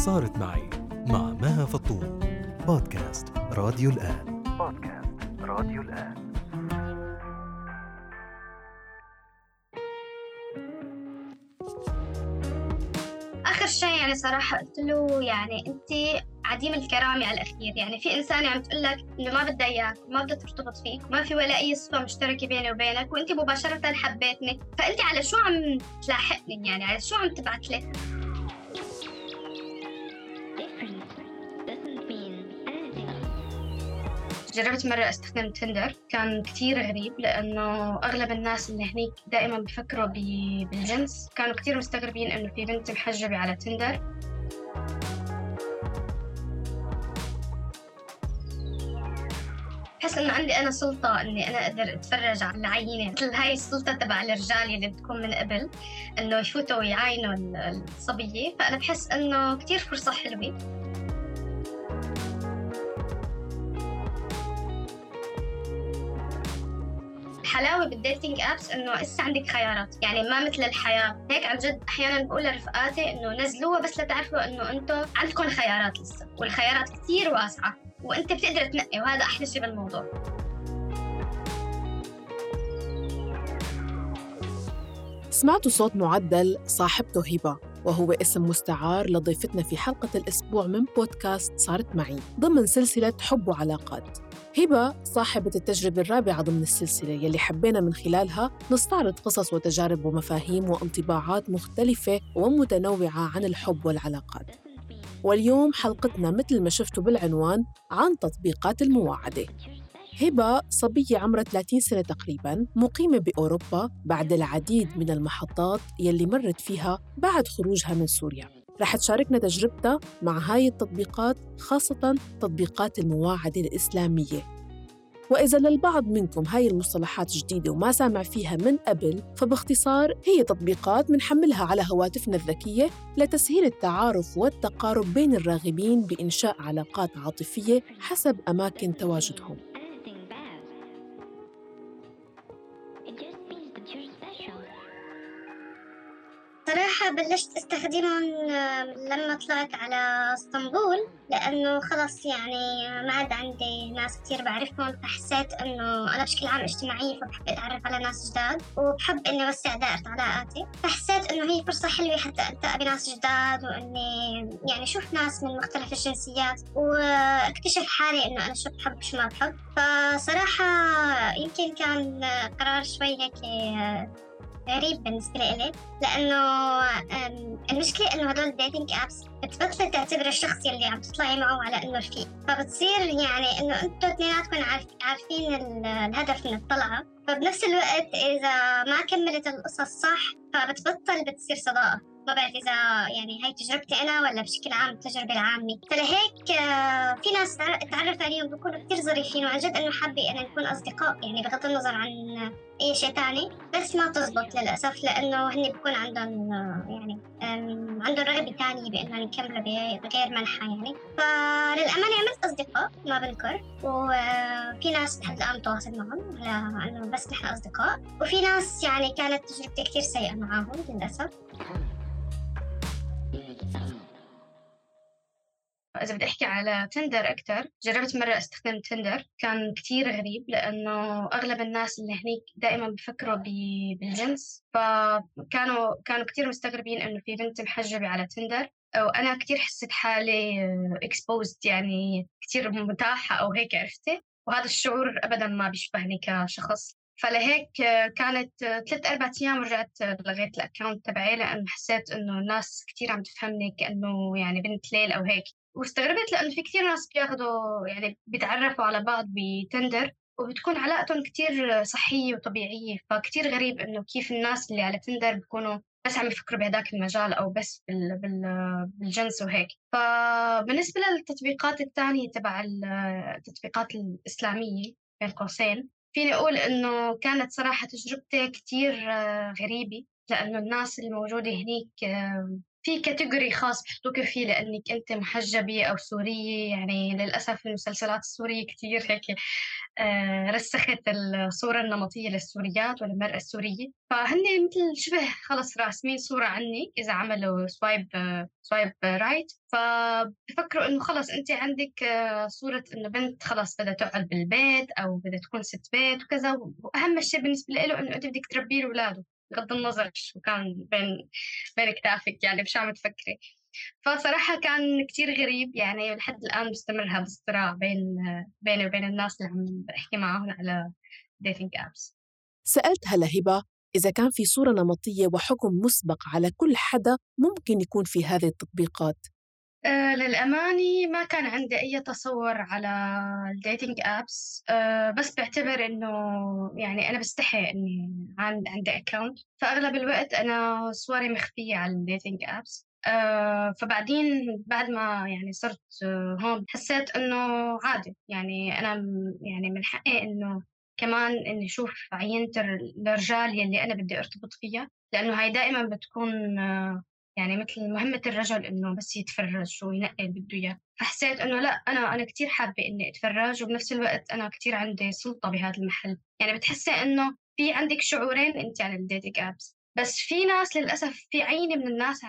صارت معي مع مها فطوم. بودكاست راديو الآن. آخر شيء يعني صراحة قلت له يعني أنت عديم الكرامة على الأخير. يعني في إنسانة عم تقولك إنه ما بدها إياك وما بدها ترتبط فيك وما في ولا أي صفة مشتركة بيني وبينك، وأنت مباشرة حبيتني، فأنت على شو عم تلاحقني؟ يعني على شو عم تبعت لي؟ جربت مرة أستخدم تندر، كان كتير غريب لأنه أغلب الناس اللي هنيك دائما بفكروا بالجنس، كانوا كتير مستغربين إنه في بنت محجبة على تندر. بحس إنه عندي أنا سلطة إني أنا أقدر أتفرج على العينة، مثل هاي السلطة تبع الرجال اللي بتكون من قبل إنه يفوتوا ويعاينوا الصبية، فأنا بحس إنه كتير فرصة حلوة. الحلاوة بالديتينج أبس إنه إسا عندك خيارات، يعني ما مثل الحياة. هيك عن جد أحياناً بقول لرفقاتي إنه نزلوها بس لتعرفوا إنه أنتوا عندكم خيارات لسه، والخيارات كتير واسعة وأنت بتقدر تنقي، وهذا أحلى شيء بالموضوع. سمعتوا صوت معدل صاحبته هبة، وهو اسم مستعار لضيفتنا في حلقة الأسبوع من بودكاست صارت معي ضمن سلسلة حب وعلاقات. هبة صاحبة التجربة الرابعة ضمن السلسلة يلي حبينا من خلالها نستعرض قصص وتجارب ومفاهيم وانطباعات مختلفة ومتنوعة عن الحب والعلاقات. واليوم حلقتنا مثل ما شفتوا بالعنوان عن تطبيقات المواعدة. هبة صبية عمرها 30 سنة تقريباً، مقيمة بأوروبا بعد العديد من المحطات يلي مرت فيها بعد خروجها من سوريا. رح تشاركنا تجربتها مع هاي التطبيقات، خاصة تطبيقات المواعدة الإسلامية. وإذا للبعض منكم هاي المصطلحات جديدة وما سامع فيها من قبل، فباختصار هي تطبيقات منحملها على هواتفنا الذكية لتسهيل التعارف والتقارب بين الراغبين بإنشاء علاقات عاطفية حسب أماكن تواجدهم. صراحة بلشت استخدمهم لما طلعت على اسطنبول، لأنه خلص يعني ما عاد عندي ناس كتير بعرفهم، فحسيت إنه أنا بشكل عام اجتماعية، فبحب أتعرف على ناس جداد وبحب إني أوسع دائرة علاقاتي، فحسيت إنه هي فرصة حلوة حتى ألتقى بناس جداد، وإني يعني أشوف ناس من مختلف الجنسيات واكتشف حالي إنه أنا شو بحب شو ما بحب. فصراحة يمكن كان قرار شوي هيك غريب بالنسبة لي، لأنه المشكلة إنه هدول الديتينج أبس بتبطل تعتبر الشخص يلي عم تطلعي معه على إنه رفيق، فبتصير يعني إنه أنتوا اثنيناتكم عارفين الهدف من الطلعة، فبنفس الوقت إذا ما كملت القصص صح بتصير صداقة. ما بعرف إذا يعني هاي تجربتي أنا ولا بشكل عام التجربة العامة. فلهيك في ناس تعرف عليهم بيكونوا كتير ظريفين، وعن جد إنه حابة أن نكون أصدقاء، يعني بغض النظر عن أي شيء تاني، بس ما تزبط للأسف لأنه هن بيكون عندهم يعني عندهم رغبة تانية بأنهم يكملوا بغير منحة يعني. فللأمانة عملت أصدقاء ما بنكر، وفي ناس لحد الآن متواصل معهم على أنه بس نحن أصدقاء، وفي ناس يعني كانت تجربتي كتير سيئة معاهم للأسف. إذا بدي أحكي على تندر أكتر، جربت مرة أستخدم تندر، كان كتير غريب لأنه أغلب الناس اللي هنيك دائما بفكروا بالجنس، فكانوا كتير مستغربين إنه في بنت محجبة على تندر، وأنا كتير حسيت حالي exposed، يعني كتير متاحة أو هيك، عرفتي؟ وهذا الشعور أبدا ما بيشبهني كشخص. فلهيك كانت 3-4 أيام رجعت لغيت الأكاونت تبعي، لأن حسيت إنه الناس كتير عم تفهمني كأنه يعني بنت ليل أو هيك. واستغربت لأنه في كتير ناس بياخدوا يعني بيتعرفوا على بعض بتندر وبتكون علاقتهم كتير صحية وطبيعية، فكتير غريب إنه كيف الناس اللي على تندر بيكونوا بس عم يفكروا بهداك المجال أو بس بالجنس وهيك. فبالنسبة للتطبيقات التانية تبع التطبيقات الإسلامية بين قوسين، فيني أقول إنه كانت صراحة تجربتي كتير غريبة، لأنه الناس الموجودة هنيك في كاتيجوري خاص بحطوك فيه لأنك أنت محجبة أو سورية. يعني للأسف المسلسلات السورية كتير هيك رسخت الصورة النمطية للسوريات والمرأة السورية، فهن مثل شبه خلص راسمين صورة عني إذا عملوا سوايب رايت، فبفكروا إنه خلص أنت عندك صورة إنه بنت خلص بدها تقعد بالبيت أو بدها تكون ست بيت وكذا، وأهم شيء بالنسبة له إنه أنت بدك تربي أولاده بغض النظر شو كان بين كتافك، يعني مش عم تفكري. فصراحة كان كتير غريب، يعني لحد الآن مستمر هذا الصراع بيني وبين الناس اللي عم بحكي معهم على dating apps. سألتها لهبة إذا كان في صورة نمطية وحكم مسبق على كل حدا ممكن يكون في هذه التطبيقات. للأمانة ما كان عندي أي تصور على الديتينج أبس، بس بعتبر إنه يعني أنا بستحي إني عندي أكاونت، فأغلب الوقت أنا صوري مخفية على الديتينج أبس. فبعدين بعد ما يعني صرت هون حسيت إنه عادي، يعني أنا يعني من حقي إنه كمان إني أشوف عينة الرجال يلي أنا بدي أرتبط فيها، لأنه هاي دائما بتكون يعني مثل مهمة الرجل إنه بس يتفرج وينقي اللي بده إياه. فحسيت إنه لا، أنا كتير حابة إني أتفرج، وبنفس الوقت أنا كتير عندي سلطة بهذا المحل. يعني بتحسي إنه في عندك شعورين أنت على الديتينج أبس، بس في ناس للأسف في عينة من الناس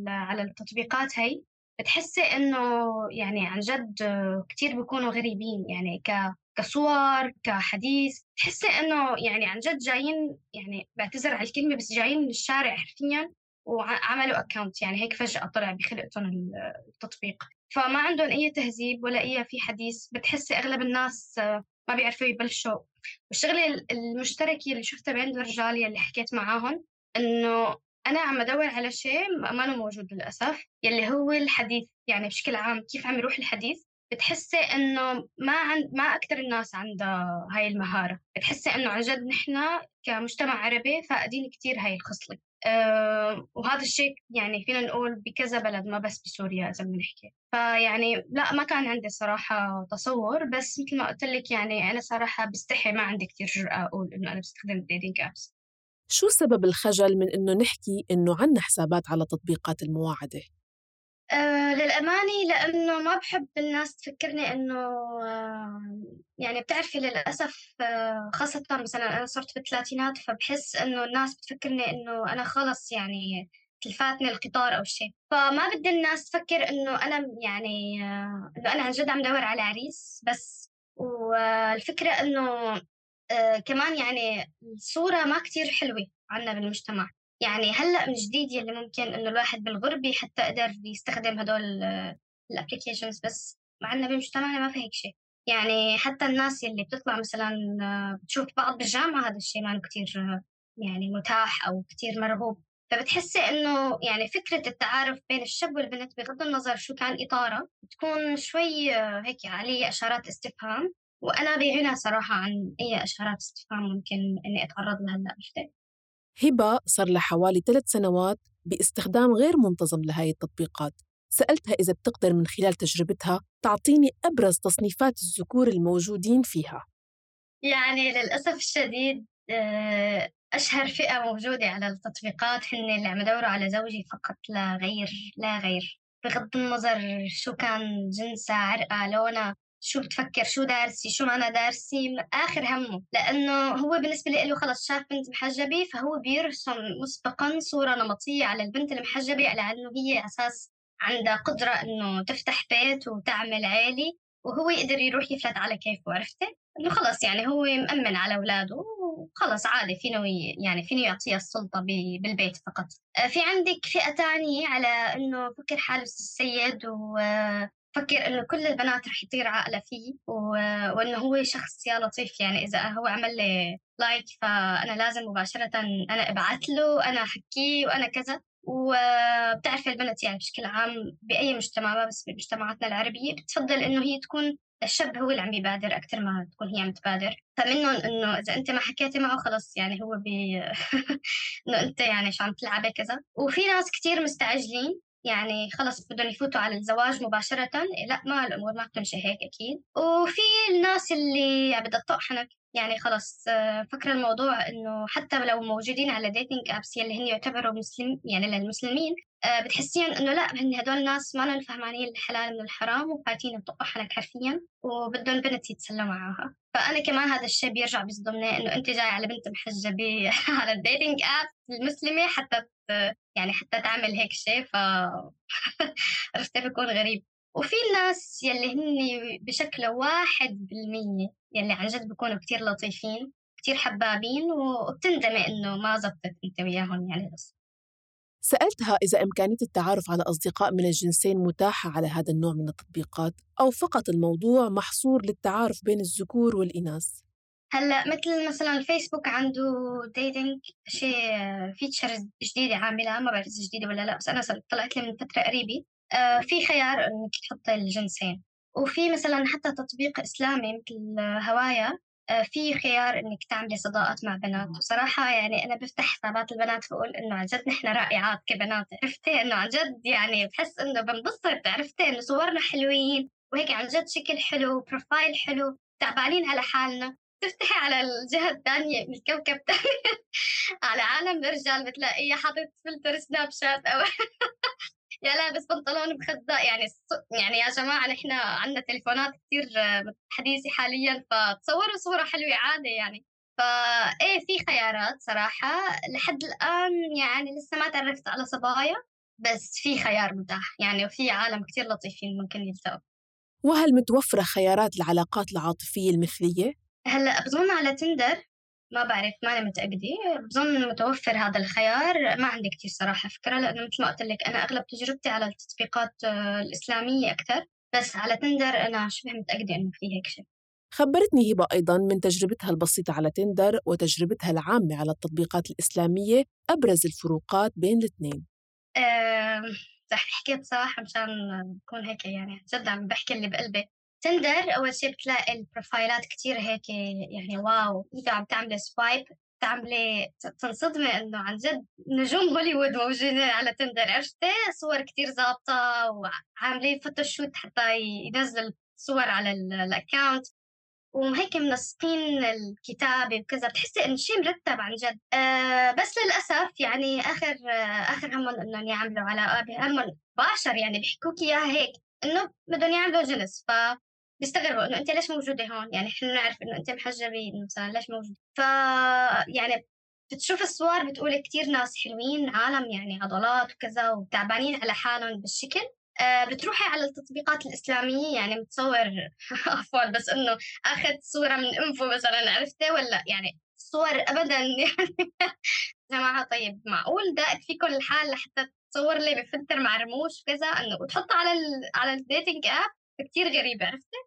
على التطبيقات هاي بتحسي إنه يعني عن جد كتير بيكونوا غريبين، يعني كصور كحديث، تحسي إنه يعني عن جد جايين، يعني بعتذر على الكلمة بس جايين من الشارع حرفياً وعملوا أكاونت، يعني هيك فجأة طلع بخلقتهم التطبيق، فما عندهم أي تهذيب ولا أي في حديث. بتحسي أغلب الناس ما بيعرفوا يبلشوا. والشغلة المشتركة اللي شفتها بين الرجال يلي حكيت معاهم إنه أنا عم أدور على شيء ما موجود للأسف، يلي هو الحديث. يعني بشكل عام كيف عم يروح الحديث، بتحسي إنه ما أكتر الناس عندها هاي المهارة. بتحسي إنه عن جد نحنا كمجتمع عربي فاقدين كتير هاي الخصلة. وهذا الشيء يعني فينا نقول بكذا بلد، ما بس بسوريا إذا بنحكي. فيعني لا، ما كان عندي صراحة تصور، بس مثل ما قلت لك يعني أنا صراحة بستحي، ما عندي كتير جرأة أقول إنه أنا بستخدم dating apps. شو سبب الخجل من إنه نحكي إنه عنا حسابات على تطبيقات المواعدة؟ للأمانة لأنه ما بحب الناس تفكرني إنه يعني بتعرفي للأسف خاصة مثلا أنا صرت بالثلاثينات، فبحس إنه الناس بتفكرني إنه أنا خلص يعني تلفاتني القطار أو شيء، فما بدي الناس تفكر إنه أنا يعني إنه أنا عن جد عم دور على عريس بس. والفكرة إنه كمان يعني الصورة ما كتير حلوة عنا بالمجتمع. يعني هلأ من جديد يلي ممكن إنه الواحد بالغربة حتى قدر يستخدم هدول الابليكيشنز، بس معنا بمجتمعنا ما في هيك شيء. يعني حتى الناس يلي بتطلع مثلا بتشوف بعض بالجامعة، هذا الشيء ما كتير يعني متاح أو كتير مرغوب. فبتحسي إنه يعني فكرة التعارف بين الشاب والبنت بغض النظر شو كان إطاره بتكون شوي هيك عليه إشارات استفهام، وأنا بغنى صراحة عن أي إشارات استفهام ممكن إني أتعرض لها هلأ. عرفتي؟ هبة صار لها حوالي 3 سنوات باستخدام غير منتظم لهاي التطبيقات. سألتها إذا بتقدر من خلال تجربتها تعطيني أبرز تصنيفات الذكور الموجودين فيها. يعني للأسف الشديد أشهر فئة موجودة على التطبيقات هن اللي عم يدوروا على زوجي فقط لا غير، لا غير، بغض النظر شو كان جنسها، عرقها، لونها، شو بتفكر، شو دارسي، شو ما أنا دارسي، آخر همه. لأنه هو بالنسبة له خلص شاف بنت محجبة فهو بيرسم مسبقا صورة نمطية على البنت المحجبة على أنه هي أساس عندها قدرة أنه تفتح بيت وتعمل عيلة، وهو يقدر يروح يفلت على كيفه. عرفتي؟ إنه خلص يعني هو مأمن على أولاده وخلص عادي فينه يعني فينه يعطيها السلطة بالبيت فقط. في عندك فئة تانية على إنه فكر حاله السيد وفكر إنه كل البنات رح يطير عقله فيه وإنه هو شخص يا لطيف، يعني إذا هو عمل لي لايك فأنا لازم مباشرة أنا أبعت له، أنا أحكيه وأنا كذا. وبتعرف البنت يعني بشكل عام بأي مجتمع، ما بس بمجتمعاتنا العربية، بتفضل إنه هي تكون الشاب هو اللي عم بيبادر أكتر ما تكون هي عم تبادر. فمنهم إنه إذا أنت ما حكيتي معه خلص يعني هو إنه أنت يعني شو عم تلعبي كذا. وفي ناس كتير مستعجلين، يعني خلص بدهم يفوتوا على الزواج مباشرة. لا، ما الأمور ما بتمشي هيك أكيد. وفي الناس اللي بدها تطق حنك، يعني خلص فكر الموضوع إنه حتى لو موجودين على dating apps يلي هن يعتبروا يعني للمسلمين، بتحسين إنه لأ هن هدول ناس ما لهم فهمانين الحلال من الحرام وفاتين بطقوا حنك حرفيًا وبدهم بنت يتسلوا معاها. فأنا كمان هذا الشيء بيرجع بيصدمني إنه أنت جاي على بنت محجبة على الdating app المسلمة حتى يعني حتى تعمل هيك شيء عرفتي بيكون غريب. وفي الناس يلي هن بشكل 1% يلي عن جد بيكونوا كتير لطيفين كتير حبابين وبتندمي إنه ما زبطت أنت وياهم يعني. بس سألتها إذا إمكانية التعارف على أصدقاء من الجنسين متاحة على هذا النوع من التطبيقات أو فقط الموضوع محصور للتعارف بين الذكور والإناث. هلا مثلا الفيسبوك عنده ديتينج شيء فيتشرز جديدة عاملة، ما بعرف إذا جديدة ولا لا، بس أنا طلعت لي من فترة قريبة في خيار إنك تحطي الجنسين. وفي مثلا حتى تطبيق إسلامي مثل هوايا في خيار إنك تعملي صداقات مع بنات. وصراحة يعني أنا بفتح حسابات البنات بقول إنه عن جد نحن رائعات كبنات، عرفتي إنه عن جد يعني بحس إنه بنبسط، عرفتي إنه صورنا حلوين وهيك عن جد شكل حلو بروفايل حلو تعبانين على حالنا. تفتحي على الجهة الثانية من الكوكب الثاني على عالم الرجال بتلاقيه حاطط فلتر سناب شات أو يا لابس بنطلون بخزاق. يعني يا جماعة نحن عندنا تليفونات كتير حديثة حاليا، فتصوروا صورة حلوة عادي يعني. فإيه في خيارات صراحة لحد الآن يعني لسه ما تعرفت على صبايا، بس في خيار متاح يعني وفي عالم كتير لطيفين ممكن يلتقوا. وهل متوفرة خيارات العلاقات العاطفية المثلية؟ هلأ بظن على تندر، ما بعرف ماني متأكدة، بظن متوفر هذا الخيار. ما عندي كتير صراحة فكرة لأنه مثل ما قلت لك أنا أغلب تجربتي على التطبيقات الإسلامية أكثر، بس على تندر أنا شبه متأكدة إنه في هيك شيء. خبرتني هبة أيضاً من تجربتها البسيطة على تندر وتجربتها العامة على التطبيقات الإسلامية أبرز الفروقات بين الاثنين. رح أحكي بصراحة مشان بكون هيك يعني جد عم بحكي اللي بقلبي. تندر أول شيء بتلاقي البروفايلات كتير هيك يعني واو، إذا عم تعملي سوايب تعملي تنصدمي إنه عن جد نجوم هوليوود موجودين على تندر، عرفتي صور كتير ظابطة وعاملين فوتوشوت حتى ينزل صور على الأكاونت وهيك منسقين الكتابة وكذا، بتحسي إنه شيء مرتب عن جد. بس للأسف يعني آخر همهم إنهم يعملوا علاقة همهم بشر يعني بيحكوك إياها هيك إنه بدهم يعملوا جنس، بيستغربوا إنه أنت ليش موجودة هون، يعني إحنا نعرف إنه أنت محجبة إنه مثلا ليش موجودة. يعني بتشوف الصور بتقولي كتير ناس حلوين عالم يعني عضلات وكذا وتعبانين على حالهم بالشكل. بتروحي على التطبيقات الإسلامية يعني متصور عفوا بس إنه أخذ صورة من أنفه مثلا، عرفتي ولا يعني صور أبدا يعني جماعة طيب معقول دائق فيكم الحال لحتى تصور لي بفلتر مع رموش وكذا إنه وتحطها على الديتنج آب كتير غريبة، عرفتي.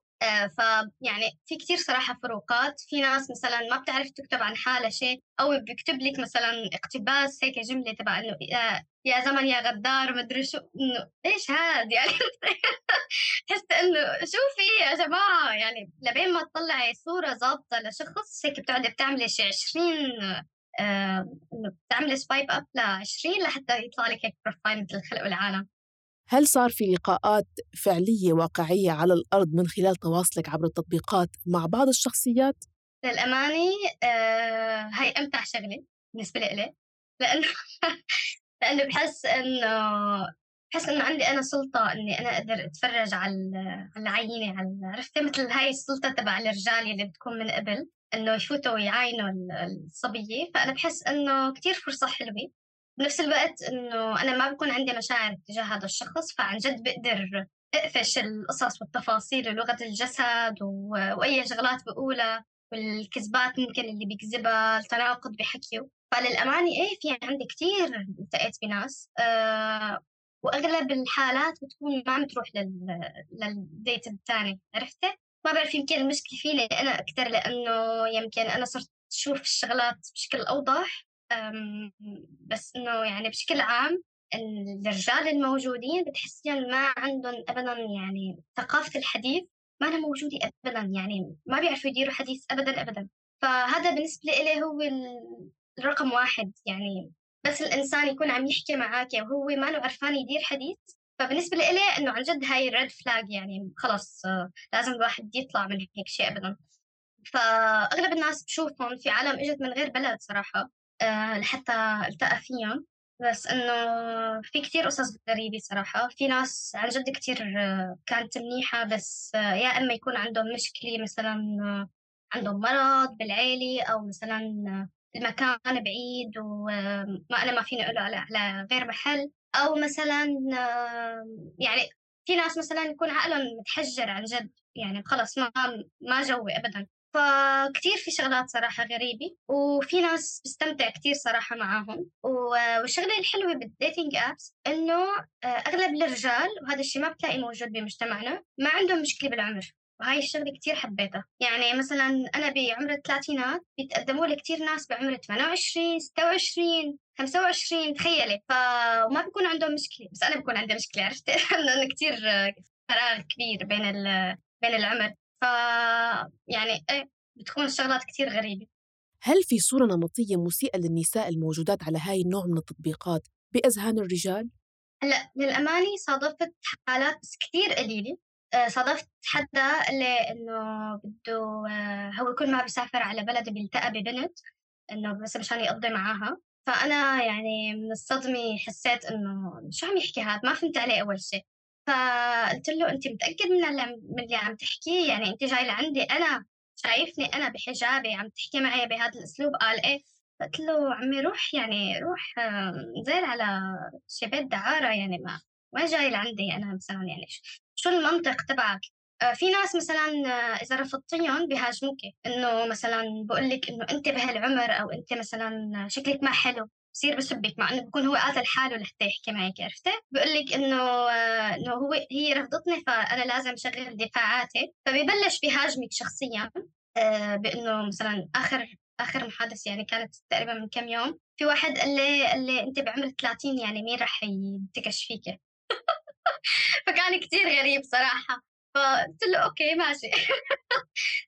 فيعني في كتير صراحة فروقات. في ناس مثلا ما بتعرف تكتب عن حالها شيء أو بيكتب لك مثلا اقتباس هيك جملة تبع إنه يا زمن يا غدار مدري شو، إنه إيش هاد يعني حس إنه شوفي يا جماعة يعني لبين ما تطلعي صورة ظابطة لشخص هيك بتقعدي بتعملي شي 20 إنه بتعملي سوايب أب ل20 لحتى يطلع لك هيك بروفايل مثل الخلق والعالم. هل صار في لقاءات فعلية واقعية على الأرض من خلال تواصلك عبر التطبيقات مع بعض الشخصيات؟ للأمانة هاي أمتع شغلة بالنسبة لي لأنه بحس إنه عندي أنا سلطة إني أنا أقدر أتفرج على العينة عرفتي مثل هاي السلطة تبع الرجال اللي بتكون من قبل إنه يفوتوا ويعاينوا الصبية. فأنا بحس إنه كتير فرصة حلوة. بنفس الوقت إنه أنا ما بكون عندي مشاعر تجاه هذا الشخص، فعن جد بقدر أقفش القصص والتفاصيل ولغة الجسد وأي شغلات بقولها والكذبات ممكن اللي بيكذبها التناقض بحكيه. فللأمانة إيه في عندي كتير التقيت بناس وأغلب الحالات بتكون ما عم تروح للديت الثاني، عرفتي. ما بعرف يمكن المشكلة فيني أنا أكتر لأنه يمكن أنا صرت أشوف الشغلات بشكل أوضح. بس إنه يعني بشكل عام الرجال الموجودين بتحسين ما عندهم أبدا يعني ثقافة الحديث ما أنا موجودة أبدا، يعني ما بيعرفوا يديروا حديث أبدا أبدا. فهذا بالنسبة إلي هو الرقم واحد يعني. بس الإنسان يكون عم يحكي معك وهو ما له عرفان يدير حديث، فبالنسبة لي إنه عن جد هاي ريد فلاج يعني خلص لازم الواحد يطلع من هيك شيء أبدا. فأغلب الناس بشوفهم في عالم إجت من غير بلد صراحة لحتى التقى فيهم، بس إنه في كتير قصص غريبة صراحة. في ناس عن جد كتير كانت منيحة، بس يا إما يكون عندهم مشكلة مثلا عندهم مرض بالعيلة، أو مثلا المكان بعيد وما ما فيني أقوله على غير محل، أو مثلا يعني في ناس مثلا يكون عقلهم متحجر عن جد، يعني خلص ما جوي أبدا. فكتير في شغلات صراحة غريبة، وفي ناس بستمتع كتير صراحة معاهم. والشغلة الحلوة بالديتينج أبس إنه أغلب الرجال، وهذا الشيء ما بتلاقي موجود بمجتمعنا، ما عندهم مشكلة بالعمر، وهاي الشغلة كتير حبيتها. يعني مثلا أنا بعمر الثلاثينات بيتقدموا لي كتير ناس بعمر 28 26 25، تخيلي. فما بيكون عندهم مشكلة، بس أنا بكون عندي مشكلة، عرفت لأنه كتير فراغ كبير بين العمر. يعني إيه، بتكون الشغلات كتير غريبة. هل في صورة نمطية مسيئة للنساء الموجودات على هاي النوع من التطبيقات بأذهان الرجال؟ هلا للأمانة صادفت حالات بس كتير قليلة. صادفت حدا اللي إنه بده هو كل ما بيسافر على بلد بيلتقى ببنت إنه بس مشان يقضي معاها. فأنا يعني من الصدمة حسيت إنه شو عم يحكي هاد، ما فهمت عليه أول شيء. فقلت له أنت متأكد من اللي عم تحكيه؟ يعني أنت جاي لعندي أنا، شايفني أنا بحجابي عم تحكي معي بهذا الأسلوب؟ قال إيه. قلت له عمي روح، يعني روح نزل على شي بيت دعارة، يعني ما جاي لعندي أنا مثلا، يعني شو المنطق تبعك؟ في ناس مثلا إذا رفضتيهم بيهاجموك، إنه مثلا بقول لك إنه أنت بهالعمر، أو أنت مثلا شكلك ما حلو، بصير بسبك، مع إنه بكون هو قاتل حاله لحتى يحكي معك، عرفتي؟ بقول لك إنه هي رفضتني فأنا لازم شغل دفاعاتي، فبيبلش بيهاجمك شخصيا. بإنه مثلا آخر محادثة يعني كانت تقريبا من كم يوم، في واحد قال لي أنت بعمر 30، يعني مين رح ينتكش فيك؟ فكان كتير غريب صراحة. فقلت له أوكي ماشي.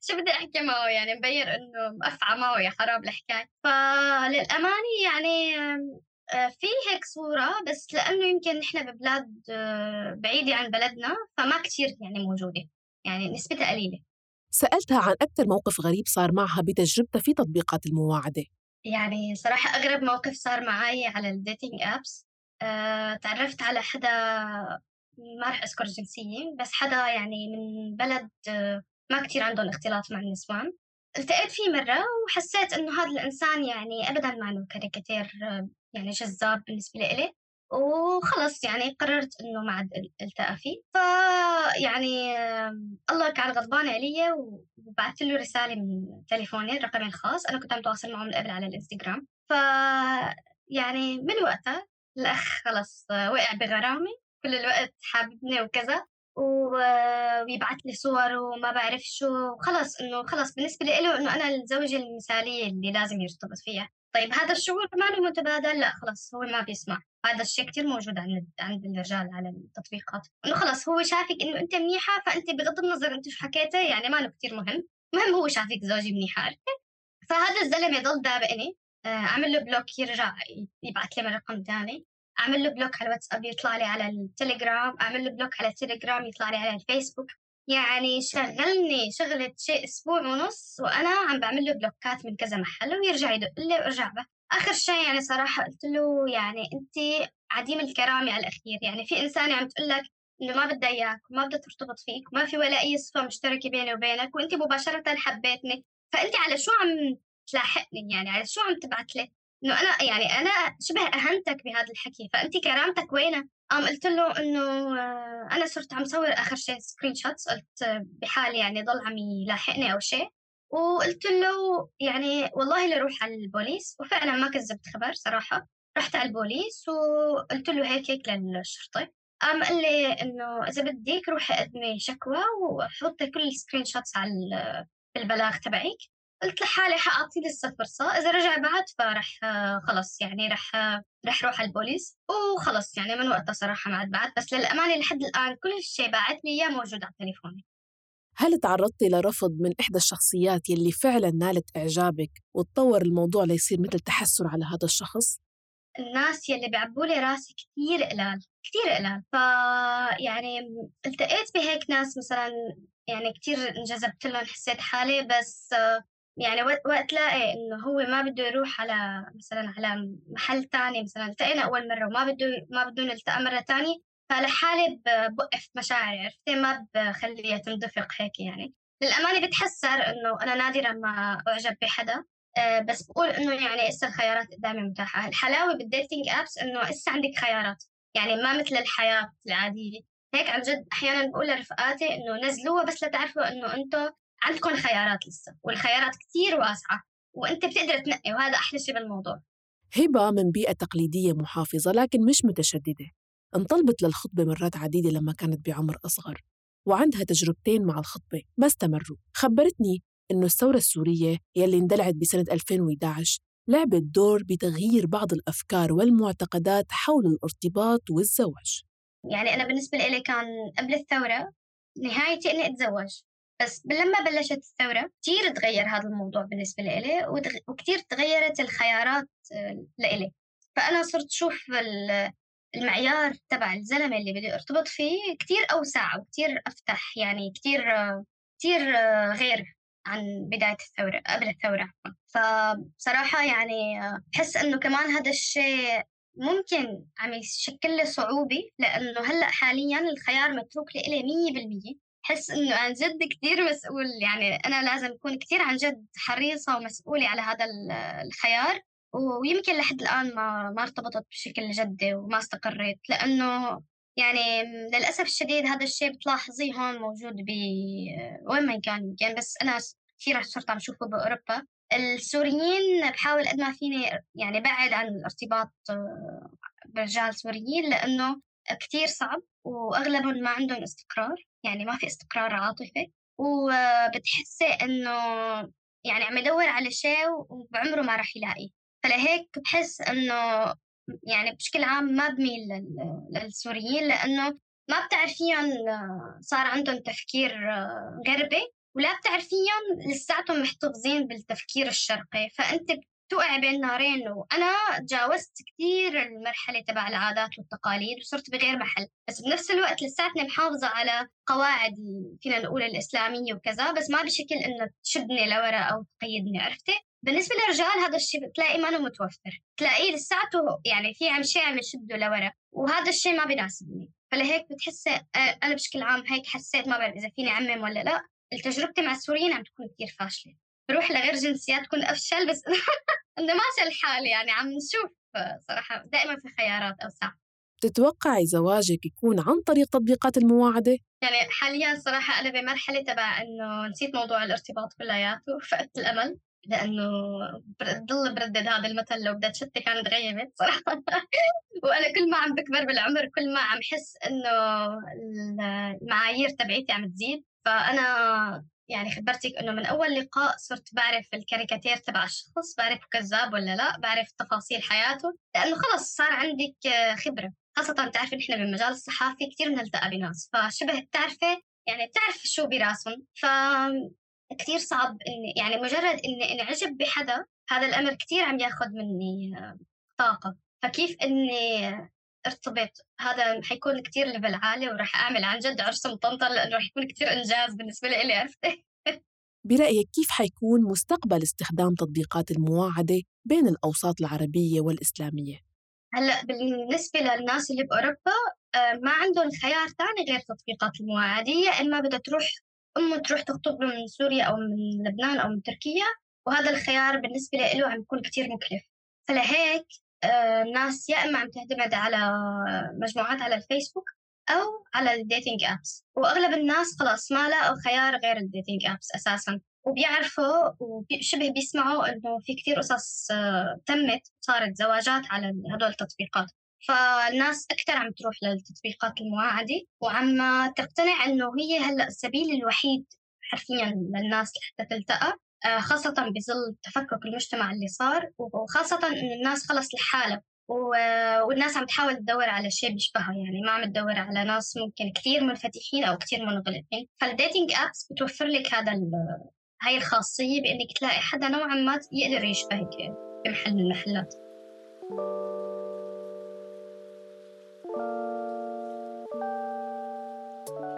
شو بدي أحكي معه؟ يعني مبين إنه مقفعة معه يا خراب الحكاية. فللأمانة يعني في هيك صورة، بس لأنه يمكن نحن ببلاد بعيدة عن بلدنا، فما كتير يعني موجودة، يعني نسبتها قليلة. سألتها عن أكثر موقف غريب صار معها بتجربتها في تطبيقات المواعدة. يعني صراحة أغرب موقف صار معي على الديتينج أبس، تعرفت على حدا، ما رح أذكر جنسية، بس حدا يعني من بلد ما كتير عندهم اختلاط مع النسوان. التقيت فيه مرة وحسيت إنه هذا الإنسان يعني أبداً ما إنه كاريكاتير يعني جذاب بالنسبة لإلي، وخلص يعني قررت إنه ما عاد التقى فيه. فيعني الله كان غضبان علي، وبعثت له رسالة من تليفوني رقمي الخاص، أنا كنت عم تواصل معه من قبل على الإنستغرام. يعني من وقتها الأخ خلص وقع بغرامي، كل الوقت حاببني وكذا، ويبعث لي صور وما بعرف شو. خلص إنه خلص بالنسبة له إنه أنا الزوجة المثالية اللي لازم يرتبط فيها. طيب هذا الشعور ما له متبادل؟ لا خلص هو ما بيسمع. هذا الشيء كتير موجود عند الرجال على التطبيقات، إنه خلص هو شافك إنه أنت منيحة، فأنت بغض النظر أنت شو حكيتي يعني ما له كتير مهم، المهم هو شافك زوجة منيحة، عرفتي؟ فهذا الزلمة ضل دابقني. أعمل له بلوك يرجع يبعث لي من رقم تاني، أعمل له بلوك على الواتساب يطلع لي على التليجرام، أعمل له بلوك على التليجرام يطلع لي على الفيسبوك. يعني شغلني شغلة شيء أسبوع ونص وأنا عم بعمل له بلوكات من كذا محل، ويرجع يدق لي وارجع به. آخر شيء يعني صراحة قلت له يعني أنت عديم الكرامة على الأخير، يعني في إنسانة عم تقول لك إنه ما بدها إياك وما بدها ترتبط فيك وما في ولا أي صفة مشتركة بيني وبينك، وأنت مباشرة حبيتني، فأنت على شو عم تلاحقني؟ يعني على شو عم تبعت لي؟ إنه أنا يعني أنا شبه أهنتك بهذا الحكي، فأنت كرامتك وينها؟ قلت له إنه أنا صرت عم صور آخر شيء سكرين شوتس، قلت بحال يعني ضل عم يلاحقني أو شيء. وقلت له يعني والله لروح على البوليس، وفعلا ما كذبت خبر صراحة. رحت على البوليس وقلت له هيك للشرطة. قال لي إنه إذا بدك روحي قدمي شكوى وحطي كل السكرين شوتس على البلاغ تبعك. قلت لحالي حأعطيه لسه فرصة، إذا رجع بعد فرح خلص يعني رح روح على البوليس وخلص. يعني من وقتها صراحة ما عاد بعد، بس للأمانة لحد الآن كل شيء باعت لي إياه موجود على تليفوني. هل تعرضتي لرفض من إحدى الشخصيات يلي فعلاً نالت إعجابك وتطور الموضوع ليصير مثل تحسر على هذا الشخص؟ الناس يلي بيعبوا لي راسي كتير قلال، كتير قلال. يعني التقيت بهيك ناس مثلا، يعني كتير انجذبت لهم، حسيت حالي، بس يعني وقت لاقي إنه هو ما بده يروح على مثلا على محل تاني، مثلا التقينا أول مرة ما بده نلتقى مرة تانية، فلحالي بوقف مشاعري، عرفتي؟ ما بخليها تندفق هيك. يعني للأمانة بتحسر إنه أنا نادرا ما أعجب بحدا، بس بقول إنه يعني إسا الخيارات قدامي متاحة. الحلاوة بالديتينج أبس إنه إسا عندك خيارات، يعني ما مثل الحياة العادية. هيك عن جد أحيانا بقول لرفقاتي إنه نزلوها بس لتعرفوا إنه أنتوا عندكم خيارات لسه، والخيارات كتير واسعة، وأنت بتقدر تنقي، وهذا أحلى شيء بالموضوع. هبة من بيئة تقليدية محافظة لكن مش متشددة، انطلبت للخطبة مرات عديدة لما كانت بعمر أصغر، وعندها تجربتين مع الخطبة ما استمروا. خبرتني إنه الثورة السورية يلي اندلعت بسنة 2011 لعبت دور بتغيير بعض الأفكار والمعتقدات حول الارتباط والزواج. يعني أنا بالنسبة لي كان قبل الثورة نهايتي إني أتزوج، بس لما بلشت الثورة كتير تغير هذا الموضوع بالنسبة لي، وكتير تغيرت الخيارات لإلي. فأنا صرت شوف المعيار تبع الزلمة اللي بدي أرتبط فيه كتير أوسع وكتير أفتح، يعني كتير غير عن بداية الثورة، قبل الثورة. فبصراحة يعني بحس إنه كمان هذا الشيء ممكن عم يشكل لي صعوبة، لأنه هلأ حالياً الخيار متروك لإلي 100%. حس إنه عن جد كتير مسؤول، يعني أنا لازم أكون كتير عن جد حريصة ومسؤولة على هذا الخيار. ويمكن لحد الآن ما ارتبطت بشكل جدي وما استقريت، لأنه يعني للأسف الشديد هذا الشيء بتلاحظيه هون موجود وين ما كان. يمكن بس أنا كثير صرت عم شوفه بأوروبا. السوريين بحاول قد ما فيني يعني بعد عن الارتباط برجال سوريين، لأنه كتير صعب وأغلبهم ما عندهم استقرار، يعني ما في استقرار عاطفي، وبتحسي إنه يعني عم يدور على شيء وبعمره ما راح يلاقي. فلهيك بحس إنه يعني بشكل عام ما بميل للسوريين، لأنه ما بتعرفيهم، صار عندهم تفكير غربي، ولا بتعرفيهم لساتهم محتفظين بالتفكير الشرقي، فأنت بتوقع بين نارين. وأنا تجاوزت كتير المرحلة تبع العادات والتقاليد وصرت بغير محل، بس بنفس الوقت لساتني محافظة على قواعد فينا نقول الإسلامية وكذا، بس ما بشكل إنه تشدني لورا أو تقيدني، عرفتي؟ بالنسبة للرجال هذا الشيء بتلاقي ما متوفر، تلاقيه لساته يعني في شيء عم يشده لورا، وهذا الشيء ما بيناسبني. فلهيك بتحسي أنا بشكل عام هيك حسيت، ما بعرف إذا فيني أعمم ولا لا، تجربتي مع السوريين عم تكون كتير فاشلة. بروح لغير جنسيات تكون أفشل، بس إنه ماشي الحال، يعني عم نشوف صراحة دائما في خيارات أوسع. تتوقعي زواجك يكون عن طريق تطبيقات المواعدة؟ يعني حاليا صراحة أنا بمرحلة تبع إنه نسيت موضوع الارتباط كلياته، فقدت الأمل، لأنه بضل بردد هذا المثل لو بدأت شتي كانت غيبت صراحة. وأنا كل ما عم بكبر بالعمر كل ما عم حس إنه المعايير تبعيتي عم تزيد. فأنا يعني خبرتك إنه من أول لقاء صرت بعرف الكاريكاتير تبع الشخص، بعرف كذاب ولا لا، بعرف تفاصيل حياته، لأنه خلص صار عندك خبرة. خاصة بتعرفي نحن بالمجال الصحافي كتير بنلتقى بناس، فشبه بتعرفي يعني بتعرف شو براسهم. كتير صعب إني يعني مجرد إني انعجب بحدا، هذا الأمر كتير عم ياخد مني طاقة. فكيف إني ارتبط، هذا حيكون كتير ليفل عالي، وراح أعمل عن جد عرس مطنطن، لأنه راح يكون كتير إنجاز بالنسبة لي، عرفتي؟ برأيك كيف حيكون مستقبل استخدام تطبيقات المواعدة بين الأوساط العربية والإسلامية؟ هلأ بالنسبة للناس اللي بأوروبا ما عندهم خيار تاني غير تطبيقات المواعدة. إما بدها تروح تروح تخطب من سوريا أو من لبنان أو من تركيا، وهذا الخيار بالنسبة له عم يكون كتير مكلف. فلهيك الناس يا إما عم تعتمد على مجموعات على الفيسبوك أو على الديتينج أبس، وأغلب الناس خلاص ما لقوا خيار غير الديتينج أبس أساساً، وبيعرفوا وشبه بيسمعوا إنه في كتير قصص تمت صارت زواجات على هدول التطبيقات. فالناس أكتر عم تروح للتطبيقات المواعدة، وعم تقتنع إنه هي هلأ السبيل الوحيد حرفياً للناس لحتى تلتقى، خاصة بظل تفكك المجتمع اللي صار، وخاصة إن الناس خلص لحالها، والناس عم تحاول تدور على شيء بيشبهها، يعني ما عم تدور على ناس ممكن كتير منفتحين أو كتير منغلقين. فالديتينج أبس بتوفر لك هاي الخاصية بإنك تلاقي حدا نوعا ما يقدر يشبهك بمحل من المحلات.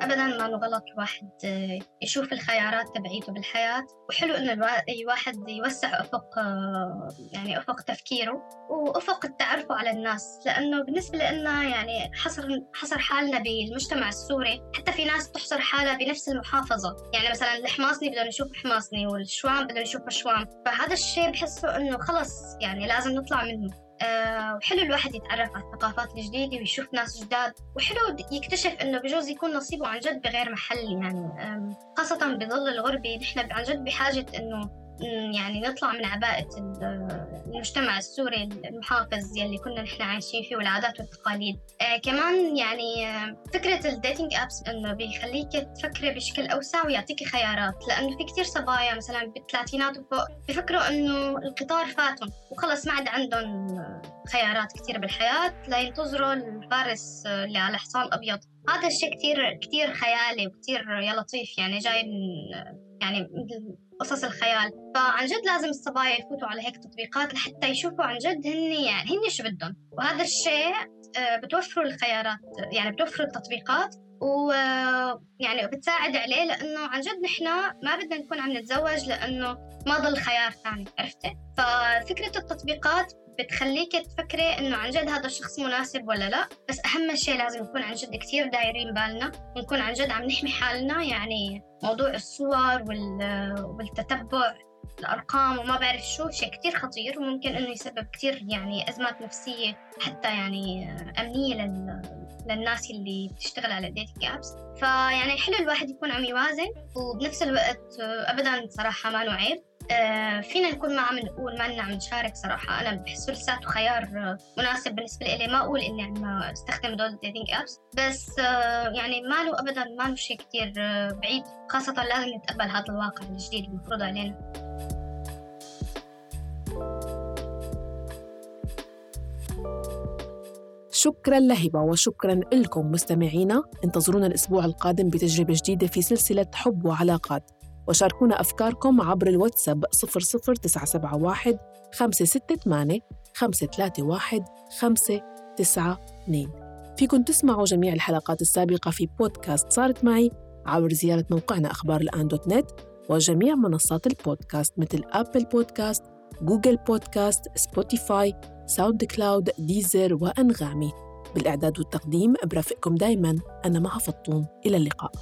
أبداً ما غلط الواحد يشوف الخيارات تبعيته بالحياة، وحلو إنه الواحد يوسع يعني أفق تفكيره وأفق التعرف على الناس، لأنه بالنسبة لنا يعني حصر حالنا بالمجتمع السوري. حتى في ناس تحصر حالها بنفس المحافظة، يعني مثلاً الحماصني بدنا نشوف حماصني والشوام بدنا نشوف شوام، فهذا الشيء بحسه إنه خلص يعني لازم نطلع منه. وحلو الواحد يتعرف على الثقافات الجديدة ويشوف ناس جداد، وحلو يكتشف إنه بجوز يكون نصيبه عن جد بغير محل، يعني خاصة بظل الغربة نحن عن جد بحاجة إنه يعني نطلع من عباءة المجتمع السوري المحافظ يلي كنا نحن عايشين فيه والعادات والتقاليد. كمان يعني فكرة الديتينج أبس إنه بيخليك تفكري بشكل أوسع ويعطيكي خيارات، لأنه في كتير صبايا مثلا بالثلاثينات وفوق بيفكروا إنه القطار فاتهم وخلص ما عاد عندهم خيارات كتير بالحياة لينتظروا الفارس اللي على حصان أبيض. هذا الشيء كتير خيالي وكتير يا لطيف، يعني جاي من يعني قصص الخيال. فعن جد لازم الصبايا يفوتوا على هيك تطبيقات لحتى يشوفوا عن جد هن شو بدهم، وهذا الشيء بتوفروا الخيارات، يعني بتوفروا التطبيقات ويعني بتساعد عليه، لأنه عن جد نحن ما بدنا نكون عم نتزوج لأنه ما ضل خيار ثاني، عرفتي؟ ففكرة التطبيقات بتخليك تفكري إنه عن جد هذا الشخص مناسب ولا لا. بس أهم شيء لازم نكون عن جد كتير دايرين بالنا ونكون عن جد عم نحمي حالنا، يعني موضوع الصور والتتبع الأرقام وما بعرف شو شيء كتير خطير، وممكن إنه يسبب كتير يعني أزمات نفسية حتى يعني أمنية للناس اللي بتشتغل على الديتنج أبس. فيعني حلو الواحد يكون عم يوازن، وبنفس الوقت أبداً صراحة ما نعيب فينا نكون ما عم نقول ما عم نشارك. صراحة أنا بحسه لساته خيار مناسب بالنسبة لي. ما أقول إني عم استخدم دول الديتينج أبس، بس يعني ما له أبداً ما له شيء كتير بعيد، خاصة لازم نتقبل هذا الواقع الجديد المفروض علينا. شكراً لهبة وشكراً لكم مستمعينا. انتظرونا الأسبوع القادم بتجربة جديدة في سلسلة حب وعلاقات، وشاركونا أفكاركم عبر الواتساب 00971 568 531 592. فيكن تسمعوا جميع الحلقات السابقة في بودكاست صارت معي عبر زيارة موقعنا أخبار الآن.net وجميع منصات البودكاست مثل أبل بودكاست، جوجل بودكاست، سبوتيفاي، ساوند كلاود، ديزر وأنغامي. بالإعداد والتقديم برافقكم دايماً أنا مها فطوم. إلى اللقاء.